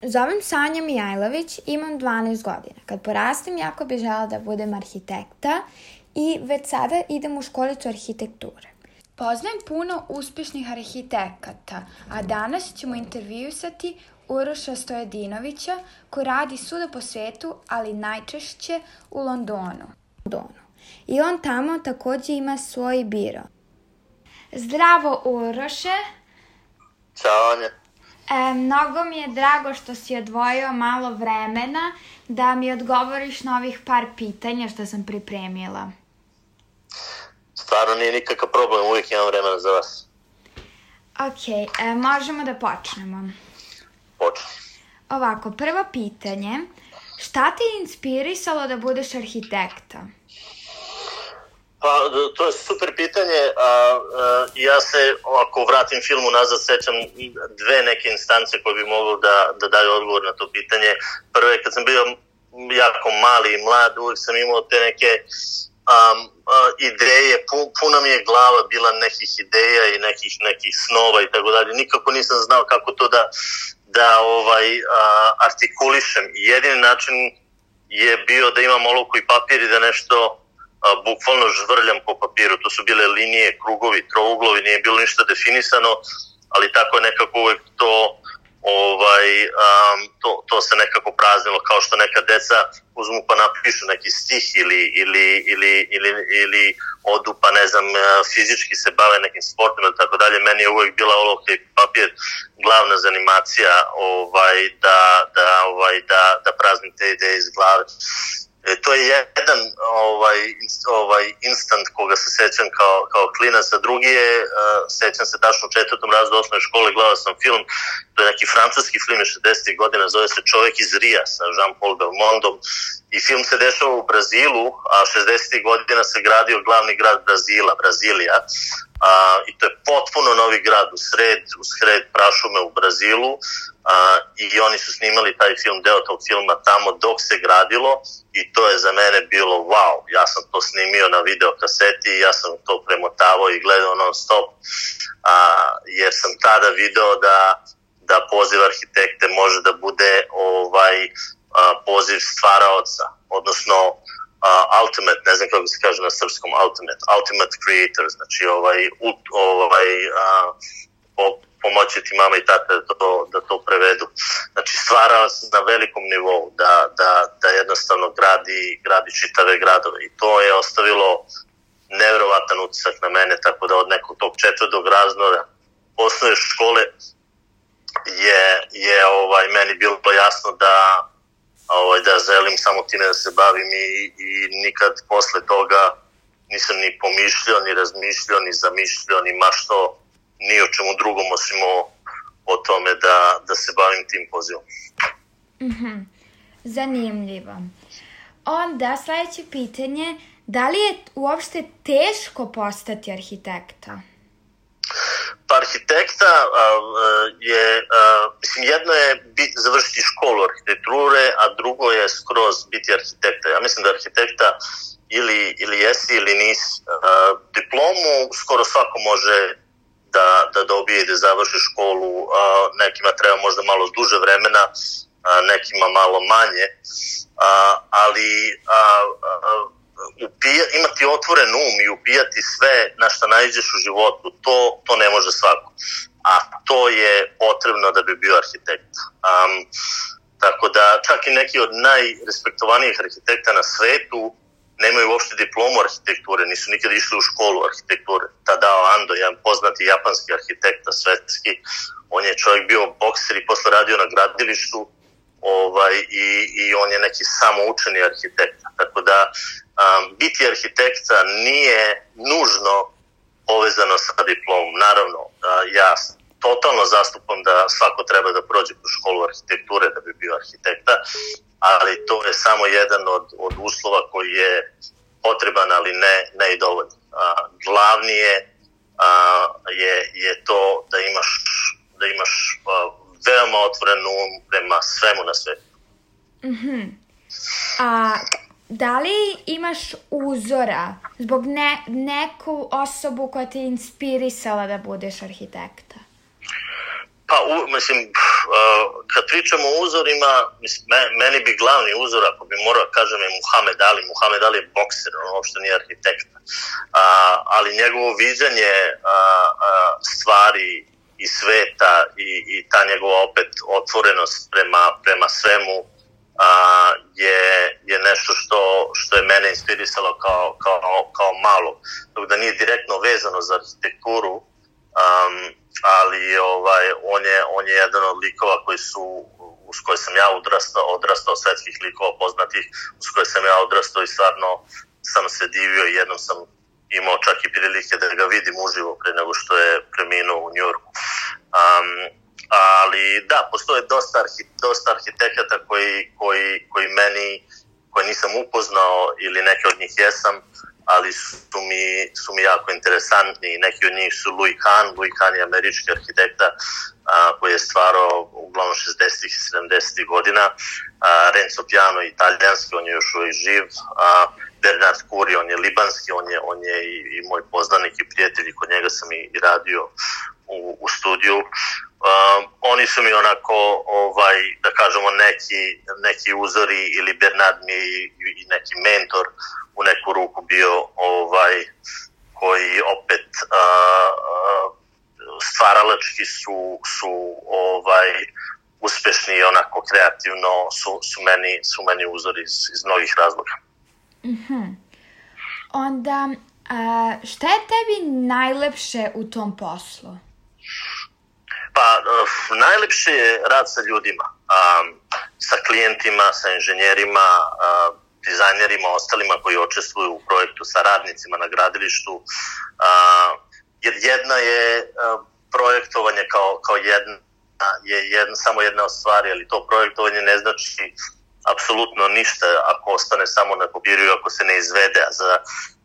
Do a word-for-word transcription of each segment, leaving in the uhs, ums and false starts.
Zovem Sanja Mijajlović, imam dvanaest godina. Kad porastem, jako bih želela da budem arhitekta i već sada idem u školicu arhitekture. Poznajem puno uspešnih arhitekata, a danas ćemo intervjuisati Uroša Stojadinovića, koji radi svuda po svetu, ali najčešće u Londonu. I on tamo takođe ima svoj biro. Zdravo, Uroše. Ćao, Anja. E, mnogo mi je drago što si odvojio malo vremena da mi odgovoriš na ovih par pitanja što sam pripremila. Stvarno nije nikakav problem, uvijek imam vremena za vas. Ok, e, možemo da počnemo. Počni. Ovako, prvo pitanje. Šta te je inspirisalo da budeš arhitekta? Pa, to je super pitanje. A, a, ja se, ako vratim filmu nazad, sećam dve neke instance koje bi moglo da, da daju odgovor na to pitanje. Prvo je kad sam bio jako mali i mlad, uvijek sam imao te neke um, uh, ideje, puna mi je glava bila nekih ideja i nekih, nekih snova i tako dalje. Nikako nisam znao kako to da, da ovaj, uh, artikulišem. Jedini način je bio da imam olovku i papir i da nešto a, bukvalno žvrljam po papiru. To su bile linije, krugovi, trouglovi, nije bilo ništa definisano, ali tako je nekako uvek to, ovaj, um, to, to se nekako praznilo, kao što neka deca uzmu pa napišu neki stih ili, ili, ili, ili, ili odu pa ne znam, fizički se bave nekim sportom ili tako dalje. Meni je uvek bila olovka i papir glavna zanimacija ovaj, da, da, ovaj, da, da praznim te ideje iz glave. E, to je jedan ovaj, ovaj instant koga se sećam kao, kao klinac, a drugi je, uh, sećam se tačno u četvrtom razredu osnovne škole, gledao sam film, to je neki francuski film iz šezdesetih godina, zove se Čovek iz Rija sa Jean-Paul Belmondom i film se dešava u Brazilu, a šezdesetih godina se gradio glavni grad Brazila, Brazilija, a, i to je potpuno novi grad u sred, u sred prašume u Brazilu, a, i oni su snimali taj film, deo tog filma tamo dok se gradilo i to je za mene bilo wow, ja sam to snimio na videokaseti i ja sam to premotavao i gledao non stop, a, jer sam tada video da, da poziv arhitekte može da bude ovaj a, poziv stvaraoca, odnosno Uh, ultimate, ne znam kako se kaže na srpskom, ultimate, ultimate creator, znači ovaj, ovaj uh, po, pomoći ti mama i tata da to, da to prevedu. Znači stvarao se na velikom nivou da, da, da jednostavno gradi, gradi čitave gradove i to je ostavilo nevjerovatan utisak na mene, tako da od nekog tog četvrtog razreda osnovne škole je, je ovaj, meni bilo jasno da Ovaj, da želim samo time da se bavim i, i nikad posle toga nisam ni pomišljao, ni razmišljao, ni zamišljao, ni mašto, ni o čemu drugom osim o, o tome da, da se bavim tim pozivom. Mm-hmm. Zanimljivo. Onda sledeće pitanje, da li je uopšte teško postati arhitekta? Pa arhitekta a, je, a, mislim, jedno je bit, završiti školu arhitekture, a drugo je skroz biti arhitekta. Ja mislim da arhitekta ili, ili jesi ili nisi. A, diplomu skoro svako može da, da dobije i da završi školu, a, nekima treba možda malo duže vremena, a, nekima malo manje, a, ali a, a, Upija, imati otvoren um i upijati sve na što naiđeš u životu, to, to ne može svako. A to je potrebno da bi bio arhitekt. Um, tako da čak i neki od najrespektovanijih arhitekta na svetu nemaju uopšte diplomu arhitekture, nisu nikad išli u školu arhitekture. Tadao Ando, jedan poznati japanski arhitekta svetski, on je čovjek bio bokser i posle radio na gradilištu, ovaj, i, i on je neki samoučeni arhitekt. Tako da Um, biti arhitekta nije nužno povezano sa diplomom. Naravno, uh, ja totalno zastupam da svako treba da prođe kroz školu arhitekture da bi bio arhitekta, ali to je samo jedan od, od uslova koji je potreban, ali ne, ne i dovoljno. Uh, glavni je, uh, je, je to da imaš, da imaš uh, veoma otvoren um prema svemu na svetu. Mhm. A da li imaš uzora zbog ne, neku osobu koja te inspirisala da budeš arhitekta? Pa, u, mislim, uh, kad pričamo o uzorima, mislim, me, meni bi glavni uzor, ako bi morao kažem, je Muhammed Ali. Muhammed Ali je bokser, on uopšte nije arhitekta. Uh, ali njegovo viđanje uh, uh, stvari i sveta i, i ta njegova opet otvorenost prema, prema svemu uh, je, je nešto što, što je mene inspirisalo kao, kao, kao malo. Dok da nije direktno vezano za arhitekturu, um, ali ovaj, on, je, on je jedan od likova koji su, uz koje sam ja odrastao, odrastao svetskih likova poznatih, uz koje sam ja odrastao i stvarno sam se divio i jednom sam imao čak i prilike da ga vidim uživo pre nego što je preminuo u Njujorku. Um, ali da, postoje dosta, arhi, dosta arhitekata koji, koji, koji meni, koji nisam upoznao ili neke od njih jesam, ali su mi, su mi jako interesantni. Neki od njih su Louis Kahn. Louis Kahn je američki arhitekta a, koji je stvarao uglavnom šezdesetih i sedamdesetih godina. A, Renzo Piano je italijanski, on je još uvijek živ. A, Bernard Curri, on je libanski, on je, on je i, i moj poznanik i prijatelj, kod njega sam i, i radio u, u studiju. Um, oni su mi onako, ovaj, da kažemo, neki, neki uzori ili Bernard mi i, i neki mentor u neku ruku bio, ovaj, koji opet uh, uh, stvaralački su, su ovaj, uspešni i onako kreativno su, su, meni, su meni uzori iz, iz mnogih razloga. Mm-hmm. Onda, uh, šta je tebi najlepše u tom poslu? Pa, uh, najlepše je rad sa ljudima, um, sa klijentima, sa inženjerima, uh, dizajnerima, ostalima koji učestvuju u projektu, sa radnicima na gradilištu, uh, jer jedna je uh, projektovanje kao, kao jedna, je jedna, samo jedna od stvari, ali to projektovanje ne znači apsolutno ništa ako ostane samo na papiru i ako se ne izvede, a za,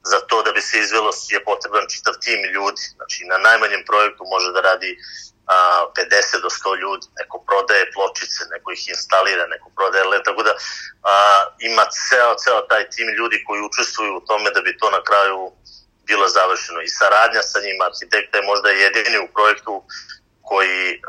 za to da bi se izvelo je potreban čitav tim ljudi. Znači, na najmanjem projektu može da radi a, pedeset do sto ljudi, neko prodaje pločice, neko ih instalira, neko prodaje led, tako da a, ima ceo, ceo taj tim ljudi koji učestvuju u tome da bi to na kraju bilo završeno. I saradnja sa njima, arhitekta je možda jedini u projektu koji uh,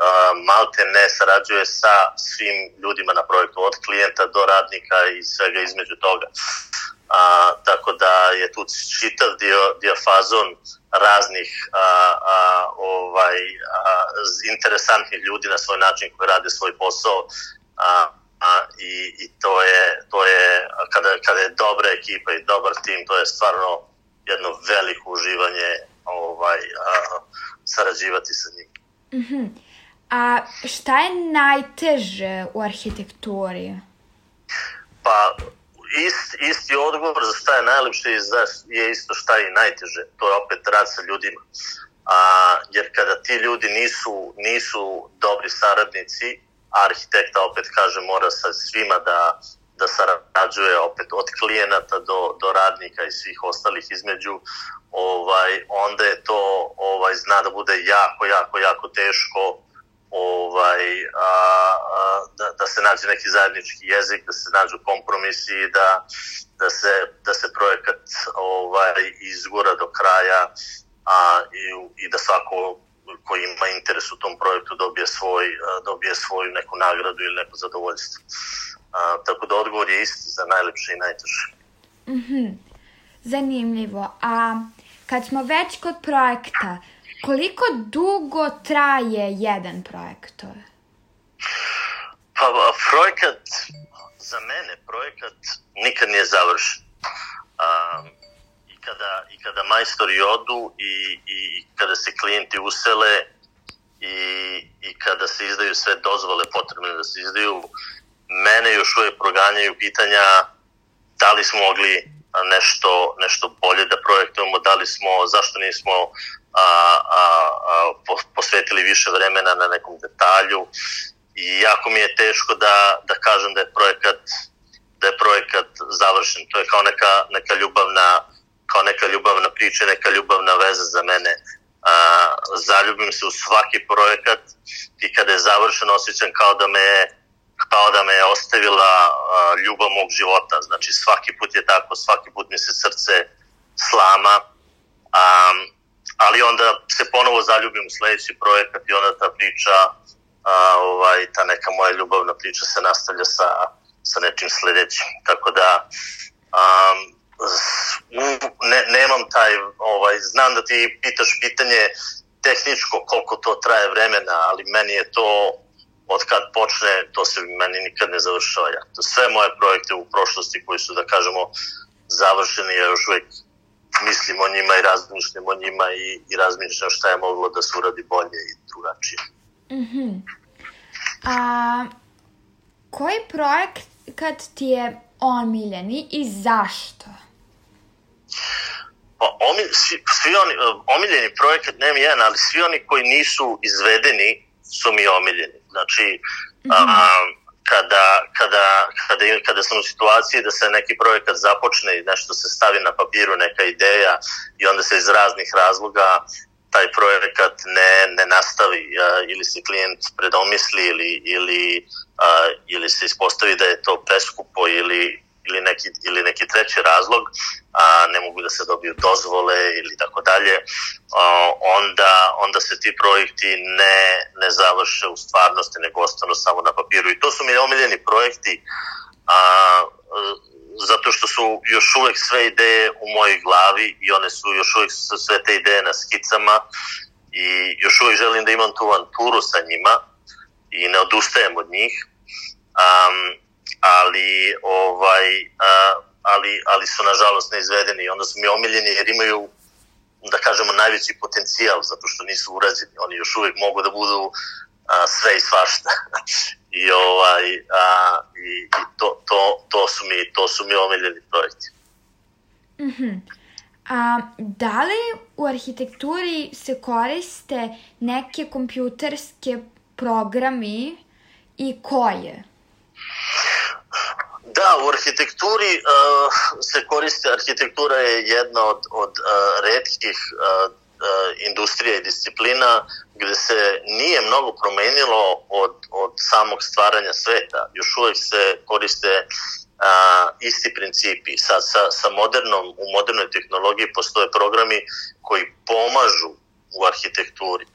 malte ne sarađuje sa svim ljudima na projektu, od klijenta do radnika i svega između toga. Uh, tako da je tu čitav dio, dijafazon raznih uh, uh, ovaj, uh, interesantnih ljudi na svoj način koji rade svoj posao. Uh, uh, i, i to je, to je kada, kada je dobra ekipa i dobar tim, to je stvarno jedno veliko uživanje ovaj, uh, sarađivati sa njim. Mm-hmm. A šta je najteže u arhitekturi? Pa, ist, isti odgovor za šta je najlepše je isto šta je najteže. To je opet rad sa ljudima. A, jer kada ti ljudi nisu, nisu dobri saradnici, arhitekta, opet kaže, mora sa svima da, da sarađuje, opet od klijenata do, do radnika i svih ostalih između, ovaj, onda je to ovaj, zna da bude jako, jako, jako teško ovaj, a, a, da, da se nađe neki zajednički jezik, da se nađu kompromisi i da, da, se, da se projekat ovaj, izgura do kraja a, i, i da svako koji ima interes u tom projektu dobije, svoj, dobije svoju neku nagradu ili neko zadovoljstvo. A, tako da odgovor je isti za najlepše i najteže. Mm-hmm. Zanimljivo. A kad smo već kod projekta, koliko dugo traje jedan projektor? Pa, projekat, za mene projekat nikad nije završen. Um, i, kada, I kada majstori odu i, i kada se klijenti usele i, i kada se izdaju sve dozvole potrebne da se izdaju, mene još uvijek proganjaju pitanja da li smo mogli nešto, nešto bolje da projektujemo, da li smo, zašto nismo a, a, a, posvetili više vremena na nekom detalju. I jako mi je teško da, da kažem da je projekat, da je projekat završen. To je kao neka, neka ljubavna, kao neka ljubavna priča, neka ljubavna veza za mene. A, zaljubim se u svaki projekat i kada je završen osjećam kao da me je kao da me je ostavila uh, ljubav mog života. Znači svaki put je tako, svaki put mi se srce slama, um, ali onda se ponovo zaljubim u sledeći projekat i onda ta priča a, ovaj, ta neka moja ljubavna priča se nastavlja sa, sa nečim sledećim. Tako da um, ne, nemam taj, ovaj, znam da ti pitaš pitanje tehničko koliko to traje vremena, ali meni je to od kad počne, to se meni nikad ne završava. Ja. To sve moje projekte u prošlosti koji su, da kažemo, završeni, ja još uvijek mislim o njima i razmišljam o njima i, i razmišljam šta je moglo da se uradi bolje i drugačije. Mm-hmm. A koji projekat ti je omiljeni i zašto? Pa, omilj, svi, svi oni, omiljeni projekat nemam jedan, ali svi oni koji nisu izvedeni su mi omiljeni. Znači, mm-hmm. a, kada, kada, kada, kada sam u situaciji da se neki projekat započne i nešto se stavi na papiru, neka ideja i onda se iz raznih razloga taj projekat ne, ne nastavi a, ili se klijent predomisli ili, ili, a, ili se ispostavi da je to preskupo ili ili neki, ili neki treći razlog, a ne mogu da se dobiju dozvole ili tako dalje, onda, onda se ti projekti ne, ne završe u stvarnosti, nego ostanu samo na papiru. I to su mi omiljeni projekti, a, zato što su još uvek sve ideje u mojoj glavi i one su još uvek sve te ideje na skicama i još uvek želim da imam tu avanturu sa njima i ne odustajem od njih. Um, ali ovaj a, ali ali su nažalost neizvedeni i onda su mi omiljeni jer imaju, da kažemo, najveći potencijal zato što nisu urađeni. Oni još uvijek mogu da budu a, sve i svašta. I ovaj a, i, i to to to su mi to su mi omiljeni projekti. Mhm. A da li u arhitekturi se koriste neke kompjuterske programi i koje? Da, u arhitekturi uh, se koriste, arhitektura je jedna od, od uh, retkih uh, uh, industrija i disciplina gde se nije mnogo promenilo od, od samog stvaranja sveta. Još uvek se koriste uh, isti principi. Sa, sa, sa modernom, u modernoj tehnologiji postoje programi koji pomažu u arhitekturi,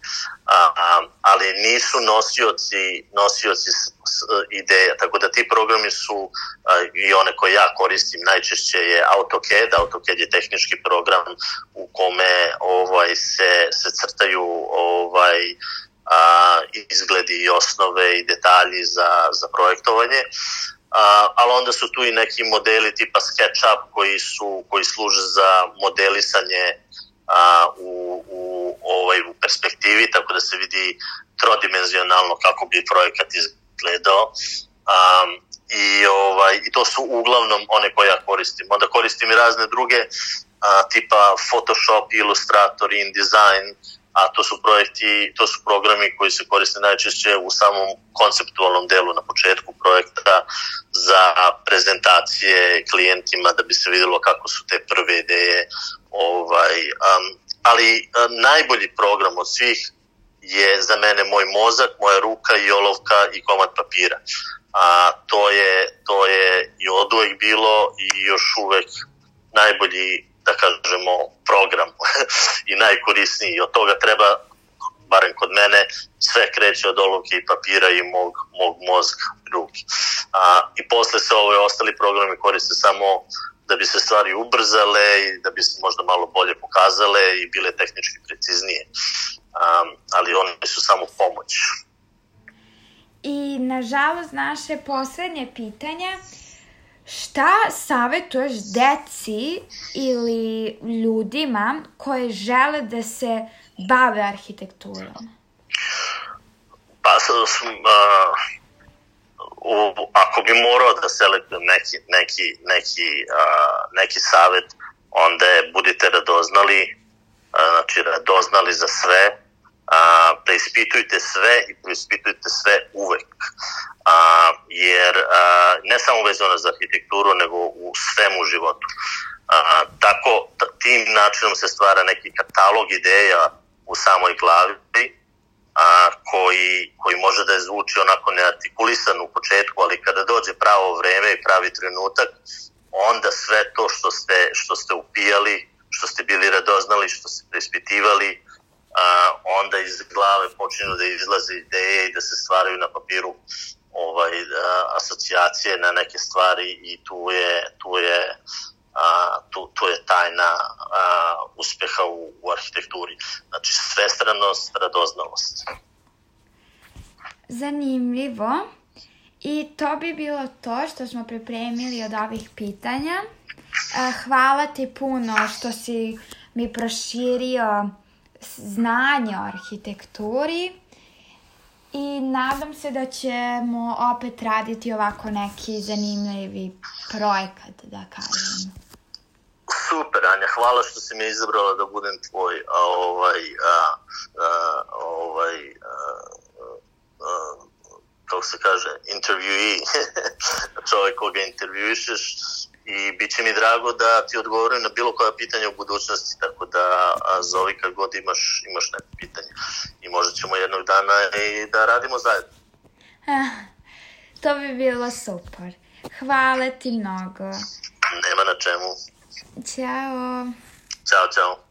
a, a, ali nisu nosioci, nosioci s, s, ideja, tako da ti programi su a, i one koje ja koristim najčešće je AutoCAD. AutoCAD je tehnički program u kome ovaj se, se crtaju ovaj a, izgledi i osnove i detalji za, za projektovanje. A, ali onda su tu i neki modeli tipa SketchUp koji su koji služe za modelisanje a, u, u ovaj u perspektivi, tako da se vidi trodimenzionalno kako bi projekat izgledao. Um, i ovaj i to su uglavnom one koje ja koristim. Onda koristim i razne druge a, tipa Photoshop, Illustrator, InDesign, a to su projekti, to su programi koji se koriste najčešće u samom konceptualnom delu na početku projekta za prezentacije klijentima da bi se videlo kako su te prve ideje. Ovaj, um, ali um, najbolji program od svih je za mene moj mozak, moja ruka i olovka i komad papira. A to je, to je i oduvek bilo i još uvek najbolji, da kažemo, program i najkorisniji. Od toga treba, barem kod mene, sve kreće od olovke i papira i mog, mog mozga i ruke. A, I posle se ove ostali programi koriste samo da bi se stvari ubrzale i da bi se možda malo bolje pokazale i bile tehnički preciznije. Um, ali oni su samo pomoć. I nažalost naše poslednje pitanje, šta savjetuješ deci ili ljudima koje žele da se bave arhitekturom? Pa, uh, u, ako bi morao da selektujem neki, neki, neki, uh, neki savjet, onda je budite radoznali, uh, znači radoznali za sve, uh, preispitujte sve i preispitujte sve uvek. Uh, jer uh, ne samo vezano za arhitekturu, nego u svemu životu. Uh, tako, t- tim načinom se stvara neki katalog ideja u samoj glavi, a, koji, koji može da je zvuči onako neartikulisan u početku, ali kada dođe pravo vreme i pravi trenutak, onda sve to što ste, što ste upijali, što ste bili radoznali, što ste preispitivali, a, onda iz glave počinju da izlaze ideje i da se stvaraju na papiru ovaj, a, asocijacije na neke stvari i tu je, tu je, a, tu, tu je tajna a, uspeha u, u arhitekturi. Znači svestranost, radoznalost. Zanimljivo. I to bi bilo to što smo pripremili od ovih pitanja. Hvala ti puno što si mi proširio znanje o arhitekturi i nadam se da ćemo opet raditi ovako neki zanimljivi projekat, da kažem. Super, Anja, hvala što si me izabrala da budem tvoj a, ovaj, a, a, ovaj a, a, kako se kaže, intervjuiji, čovjek koga intervjuišeš i bit će mi drago da ti odgovorim na bilo koja pitanja u budućnosti, tako da zovi kad god imaš, imaš neko pitanje i možda ćemo jednog dana i da radimo zajedno. Ah, to bi bilo super. Hvala ti mnogo. Nema na čemu. Ćao. Ćao, čao.